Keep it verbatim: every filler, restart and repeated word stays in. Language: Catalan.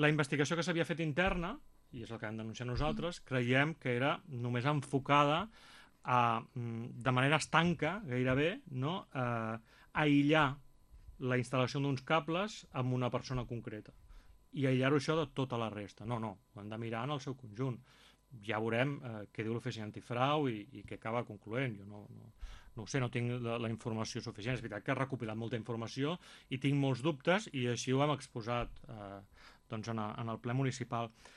La investigació que s'havia fet interna, i és el que hem denunciat nosaltres, creiem que era només enfocada a, de manera estanca, gairebé, no? a aïllar la instal·lació d'uns cables amb una persona concreta i aïllar-ho això de tota la resta. No, no, ho hem de mirar en el seu conjunt. Ja veurem eh, què diu l'oficina antifrau i, i què acaba concloent. Jo no, no, no ho sé, no tinc la, la informació suficient. És veritat que he recopilat molta informació i tinc molts dubtes i així ho hem exposat eh, doncs en, a, en el ple municipal.